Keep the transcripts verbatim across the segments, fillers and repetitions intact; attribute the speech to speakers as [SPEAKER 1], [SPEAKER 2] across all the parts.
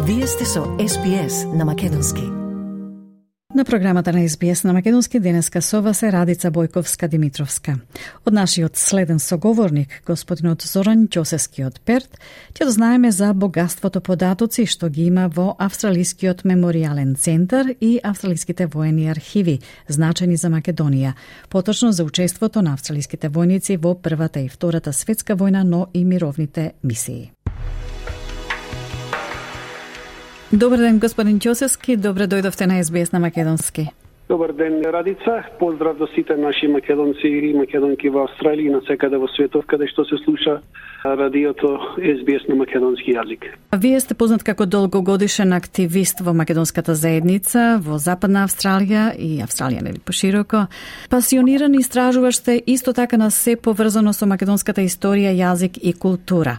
[SPEAKER 1] Вие сте со Ес Би Ес на македонски.
[SPEAKER 2] На програмата на Ес Би Ес на македонски денеска со вас е Радица Бојковска-Димитровска. Од нашиот следен соговорник, господинот Зоран Ќосевски од Перт, ќе дознаеме за богатството податоци што ги има во Австралискиот меморијален центар и австралиските воени архиви, значени за Македонија, поточно за учеството на австралиските војници во Првата и Втората светска војна, но и мировните мисии. Добар ден, господин Ќосевски, добре дојдовте на Ес Би Ес на македонски.
[SPEAKER 3] Добар ден, Радица. Поздрав до сите наши македонци и македонки во Австралија и на секаде во светот каде што се слуша радиото Ес Би Ес на македонски јазик.
[SPEAKER 2] Вие сте познат како долгогодишен активист во македонската заедница во Западна Австралија и Австралија нели пошироко. Пасиониран истражуваш сте исто така на се поврзано со македонската историја, јазик и култура.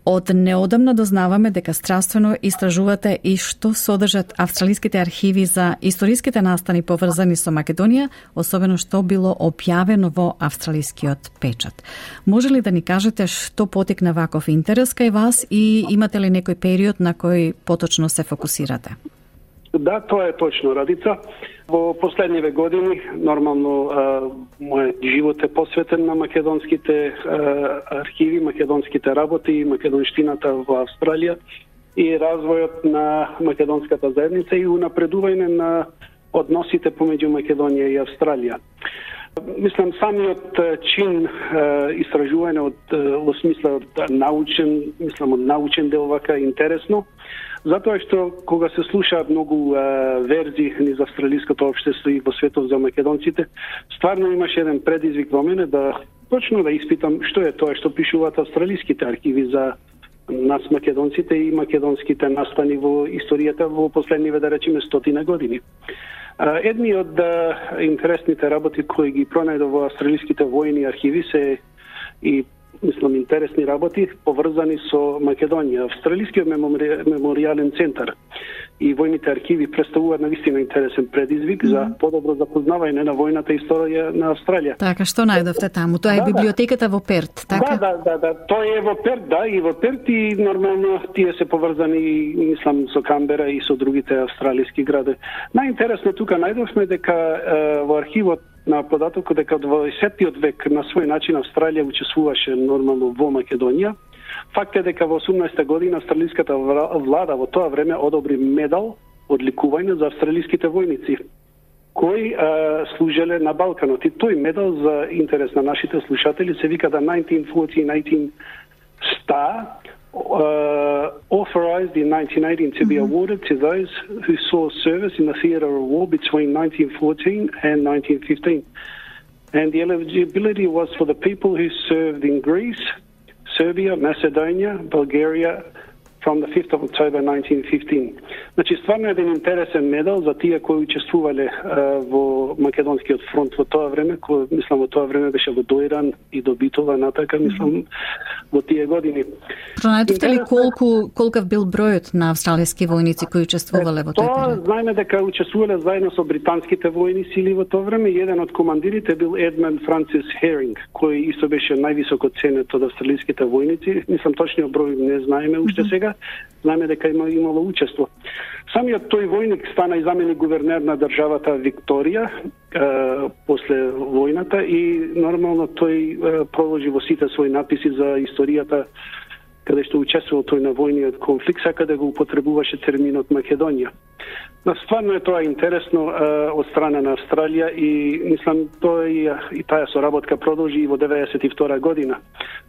[SPEAKER 2] Од неодамна дознаваме дека страствено истражувате и што содржат австралиските архиви за историските настани поврзани со Македонија, особено што било објавено во австралискиот печат. Може ли да ни кажете што потекна ваков интерес кај вас и имате ли некој период на кој поточно се фокусирате?
[SPEAKER 3] Да, тоа е точно, Радица. Во последниве години, нормално, а, мојот живот е посветен на македонските а, архиви, македонските работи и македонштината во Австралија и развојот на македонската заедница и унапредување на односите помеѓу Македонија и Австралија. Мислам, самиот чин истражување од во смисла од научен, мислам од научен дел вака интересно, затоа што кога се слушаат многу а, верзии низ австралиското општество и во светот за македонците, стварно имаше еден предизвик во мене да точно да испитам што е тоа што пишуваат австралиските архиви за нас македонците и македонските настани во историјата во последниве, да речеме, стотина години. Едни од а, интересните работи кои ги пронајдов во австралиските војни архиви се и мислам интересни работи поврзани со Македонија. Австралискиот меморијален центар и војните архиви представуваат навистина интересен предизвик mm -hmm. за подобро запознавање на војната историја на Австралија.
[SPEAKER 2] Така, што најдовте таму? Тоа е да, библиотеката во Перт, така?
[SPEAKER 3] Да, да, да, да, тоа е во Перт, да, и во Перт и нормално тие се поврзани, мислам, со Камбера и со другите австралиски градови. Најинтересно тука најдовме дека е, во архивот на податокот дека од дваесеттиот век на свој начин Австралија учествуваше нормално во Македонија. Факт е дека во осумнаесета година австралиската влада во тоа време одобри медал одликување за австралиските војници кои а, служеле на Балканот. И тој медал, за интерес на нашите слушатели, се вика да nineteen fourteen eighteen Star, uh, authorized in nineteen eighteen to be awarded to those who saw service in the theatre of war between nineteen fourteen and nineteen fifteen. And the eligibility was for the people who served in Greece, Serbia, Macedonia, Bulgaria from the fifth of October nineteen fifteen. Значи, стварно еден интересен медал за тие кои учествувале uh, во Македонскиот фронт во тоа време, кој, мислам, во тоа време беше во Дојран и до Битола, натака, мислам, во тие години.
[SPEAKER 2] Пронајдовте ли колку, колкав бил бројот на австралиски војници кои учествувале во тој период?
[SPEAKER 3] Тоа знаеме дека учествувале заедно со британските војни сили во тоа време. Еден од командирите бил Едмунд Франсис Херинг, кој исто беше највисоко ценет од австралиските војници. Мислам, точниот број не знаеме уште сега. Знаеме дека има имало учество. Самиот тој војник стана и заменик гувернер на државата Викторија е, после војната и нормално тој е, проложи во сите своји написи за историјата каде што учествувал тој на војниот конфликт, сака да го употребуваше терминот Македонија. Но стварно е тоа интересно е, од страна на Австралија и мислам тоа и, и таа соработка продолжи и во деветдесет и втора година,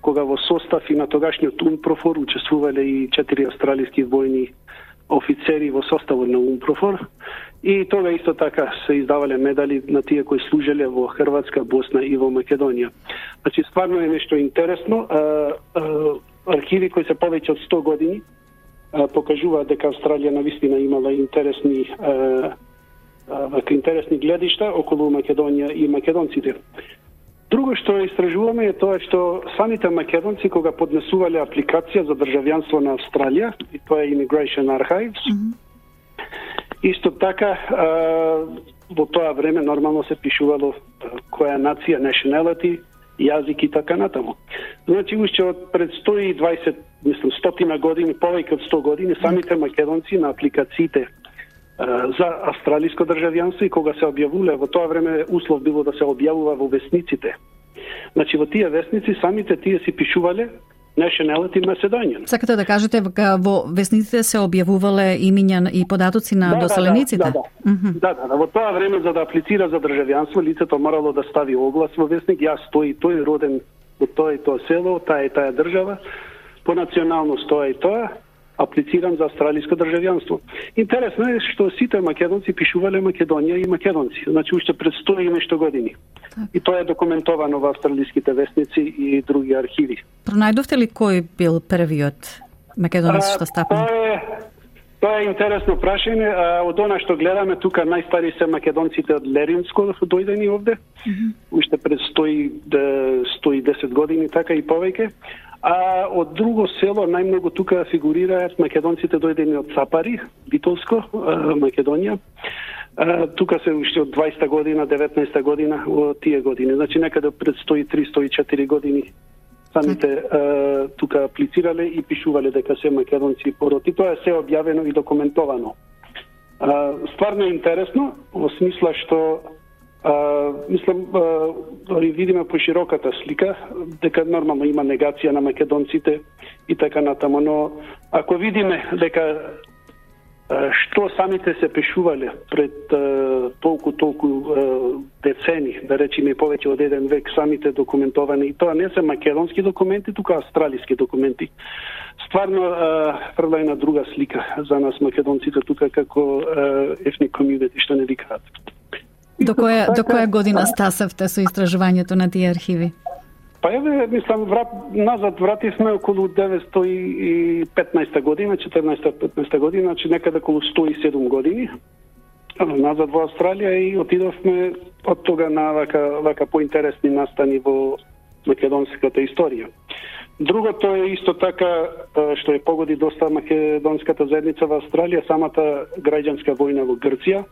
[SPEAKER 3] кога во состав и на тогашниот Унпрофор учествувале и четири австралиски војни офицери во составот на Унпрофор и тога исто така се издавале медали на тие кои служеле во Хрватска, Босна и во Македонија. Значи, стварно е нешто интересно. А, а, архиви кои се повеќе од сто години а, покажуваат дека Австралија навистина имала интересни а, а, интересни гледишта околу Македонија и македонците. Друго што истражуваме е тоа што самите македонци кога поднесувале апликација за државјанство на Австралија, и тоа е Immigration Archives, mm-hmm. исто така а, во тоа време нормално се пишувало која нација, nationality, јазик и така натаму. Значи, уште од пред сто и дваесет, мислам, стотина години, повеќе од сто години, самите македонци на апликациите за австралиско државјанство и кога се објавуле, во тоа време услов било да се објавува во весниците. Значи, во тие весници самите тие си пишувале Nationality Macedonian.
[SPEAKER 2] Сакате да кажете, во весниците се објавувале имиња и податоци на
[SPEAKER 3] да,
[SPEAKER 2] доселениците?
[SPEAKER 3] Да, да, да. Mm -hmm. да, да, да. Во тоа време, за да аплицира за државјанство, лицето морало да стави оглас во весник, јас тој, тој роден во тоа и тоа село, таа и таа држава, по националност тоа и тоа, аплицирам за австралиско државјанство. Интересно е што сите македонци пишувале Македонија и македонци, значи уште пред сто и нешто години. Так. И тоа е документовано во австралиските весници и други архиви.
[SPEAKER 2] Пронајдовте ли кој бил првиот македонец што стапна?
[SPEAKER 3] Тоа е, тоа е интересно прашање. Од она што гледаме тука, најстари се македонците од Леринско дојдени овде, mm -hmm. уште пред сто и десет години, така и повеќе. А од друго село најмногу тука фигурираат македонците дојдени од Цапари, Битолско, Македонија. А, тука се уште од дваесетта година, деветнаесетта година, во тие години. Значи некаде пред сто и три - сто и четири години самите а, тука аплицирале и пишувале дека се македонци пороти. Тоа е се објавено и документовано. А, стварно е интересно, во смисла што Uh, мислам, uh, дори видиме по широката слика, дека нормално има негација на македонците и така натаму, но ако видиме дека uh, што самите се пишувале пред uh, толку, толку uh, децени, да речеме повеќе од еден век, самите документовани, и тоа не се македонски документи, тука австралиски документи. Стварно фрла uh, на друга слика за нас македонците тука како uh, ethnic community, што не викаат.
[SPEAKER 2] До која, до која година стасавте со истражувањето на тие архиви?
[SPEAKER 3] Па еве, мислам, врат, назад вративме околу деветстотини и петнаесетта година, четирнаесетта петнаесетта година, значи некаде околу сто и седум години, назад во Австралија и отидовме од тога на вака, вака поинтересни настани во македонската историја. Другото е исто така, што е погоди доста македонската заедница во Австралија, самата граѓанска војна во Грција,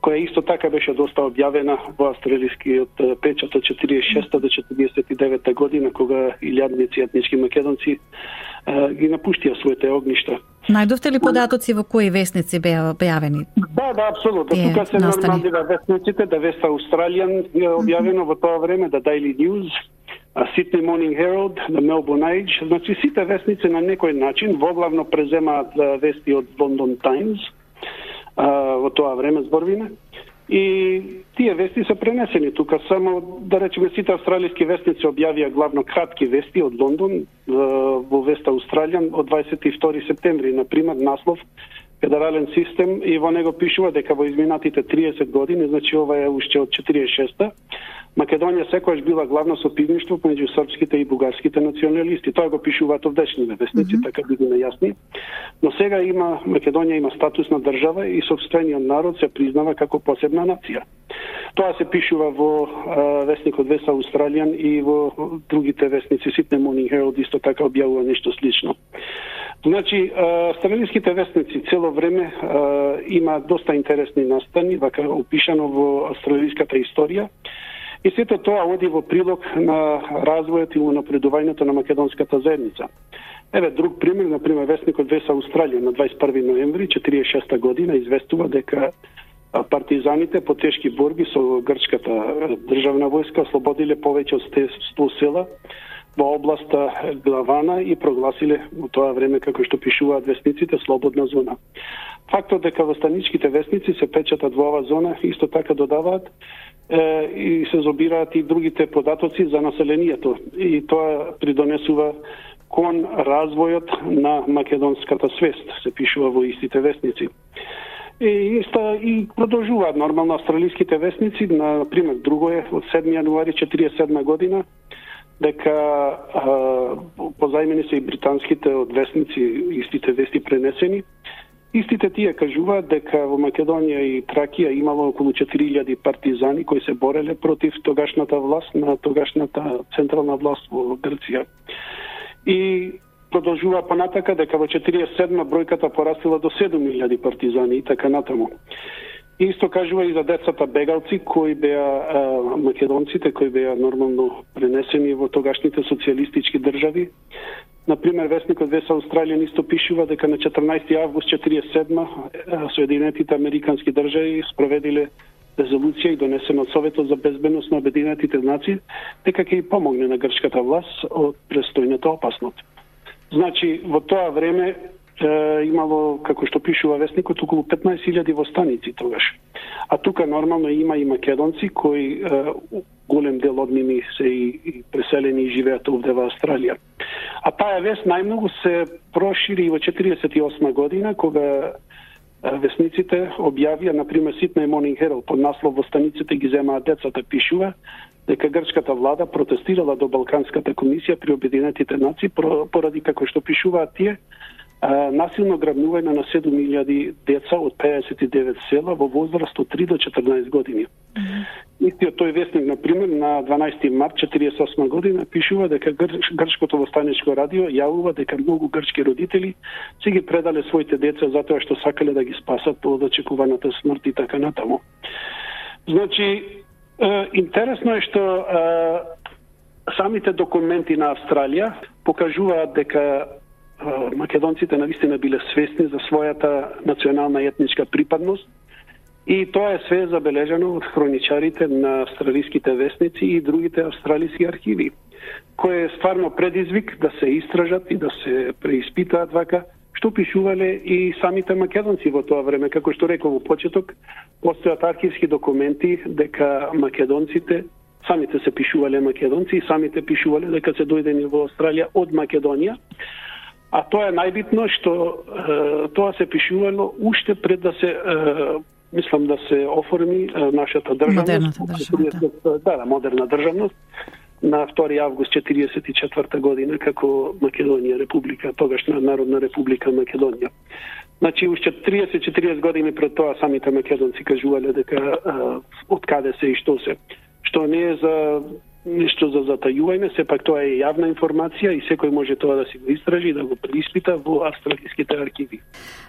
[SPEAKER 3] која исто така беше доста објавена во австралискиот печат од четиридесет и шеста до четиридесет и девета година, кога илјадници етнички македонци а, ги напуштија своите огништа.
[SPEAKER 2] Најдовте ли податоци во кои весници беа објавени?
[SPEAKER 3] Да, да, апсолутно. Тука се нормалнива весниците, да West Australian е објавено mm -hmm. во тоа време, да Daily News, Sydney Morning Herald, the Melbourne Age. Значи сите весници на некој начин воглавно преземаат вести од London Times, во тоа време зборвиме. И тие вести се пренесени тука. Само, да речеме, сите австралиски вестници објавија главно кратки вести од Лондон во West Australian од дваесет и втори септември, например, наслов Федерален систем, и во него пишува дека во изминатите триесет години, значи ова е уште од четиридесет и шеста, Македонија секогаш била главно сопивништво меѓу српските и бугарските националисти. Тоа го пишуваат овдешните вестници, mm -hmm. така бидеме јасни. Но сега има Македонија има статус на држава и сопствениот народ се признава како посебна нација. Тоа се пишува во а, вестникот West Australian и во другите вестници, Sydney Morning Herald исто така објавува нешто слично. Значи, австралиските вестници цело време а, има доста интересни настани, вака опишано во австралиската историја. И сето тоа оди во прилог на развојот и унапредувањето на македонската заедница. Еве друг пример, например, вестникот West Australian на дваесет и први ноември четиридесет и шеста година известува дека партизаните по тешки борби со грчката државна војска ослободиле повеќе од сто села во областа Главана и прогласиле во тоа време, како што пишуваат вестниците, слободна зона. Фактот дека во станичките вестници се печатат во оваа зона исто така додаваат е, и се зобираат и другите податоци за населението. И тоа придонесува кон развојот на македонската свест, се пишува во истите вестници. И, иста, и продолжуваат нормално австралиските вестници, на пример друго е од седми јануари четиридесет и седма година, дека а, позајмени се и британските од вестници, истите вести пренесени. Истите тие кажуваат дека во Македонија и Тракија имало околу четири илјади партизани кои се бореле против тогашната власт, на тогашната централна власт во Грција. И продолжува понатака дека во четиридесет и седма бројката порасла до седум илјади партизани и така натаму. И исто кажува и за децата бегалци кои беа а, македонците кои беа нормално пренесени во тогашните социјалистички држави. Например, весникот Вест Австралијан исто пишува дека на четрнаесети август четиридесет и седма Соединетите Американски држави спроведиле резолуција и донесена од Советот за безбедност на Обединетите нации дека ќе и помогне на грчката власт од престојната опасност. Значи, во тоа време е, имало, како што пишува вестникот, околу петнаесет илјади востаници тогаш. А тука нормално има и македонци кои е, голем дел од ними се и, и преселени и живеат овде во Австралија. А таа вест најмногу се прошири во четиридесет и осма година, кога весниците објавија, например, Сиднеј Morning Herald под наслов "Востаниците ги земаат децата", пишува дека грчката влада протестирала до Балканската комисија при Обединетите нации поради, како што пишуваат тие, насилно грабнување на седум илјади деца од пеесет и девет села во возраст од три до четрнаесет години. Mm-hmm. Истиот тој вестник, например, на дванаесети март четиридесет и осма година пишува дека грч, Грчкото востаничко радио јавува дека многу грчки родители си ги предале своите деца затоа што сакале да ги спасат од очекуваната смрт и така натаму. Значи, е, интересно е што е, самите документи на Австралија покажуваат дека македонците навистина биле свесни за својата национална и етничка припадност и тоа е све забележано од хроничарите на австралиските вестници и другите австралиски архиви, кој е стварно предизвик да се истражат и да се преиспитаат вака што пишувале и самите македонци во тоа време. Како што реков во почеток, постојат архивски документи дека македонците самите се пишувале македонци и самите пишувале дека се дојдени во Австралија од Македонија. А тоа е најбитно што е, тоа се пишувало уште пред да се е, мислам да се оформи е, нашата државност.
[SPEAKER 2] Државност,
[SPEAKER 3] да, да, модерна државност на втори август четиридесет и четврта година како Македонија република, тогашна Народна република Македонија. Значи уште триесет до четириесет години пред тоа самите македонци кажувале дека е, од каде се и што се. Што не е за нешто за затајување, сепак тоа е јавна информација и секој може тоа да си го истражи и да го преиспита во австралиските архиви.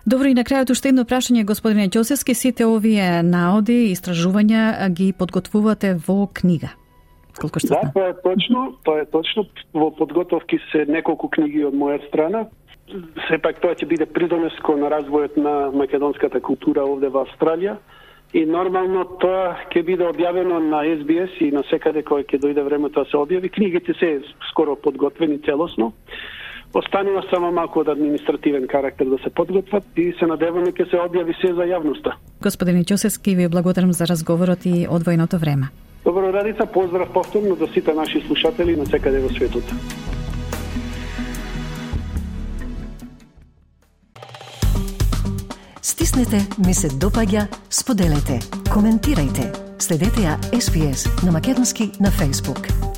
[SPEAKER 2] Добро, и на крајот уште едно прашање, господине Ѓосевски, сите овие наоди и истражувања ги подготвувате во книга? Колку што
[SPEAKER 3] да, тоа е точно, тоа е точно. Во подготовки се неколку книги од моја страна. Сепак тоа ќе биде придонес кон развојот на македонската култура овде во Австралија. И нормално тоа ќе биде објавено на Ес Би Ес и на секаде кој ќе дојде времето да се објави. Книгите се скоро подготвени целосно. Останува само малку од административен карактер да се подготват и се надеваме ќе се објави се за јавноста.
[SPEAKER 2] Господине Ѓосевски, ви благодарам за разговорот и одвоеното време.
[SPEAKER 3] Добро, Радица, поздрав повторно до сите наши слушатели на секаде во светот.
[SPEAKER 1] Стиснете, ми се допаѓа, споделете, коментирајте. Следете ја Ес Би Ес на македонски на Facebook.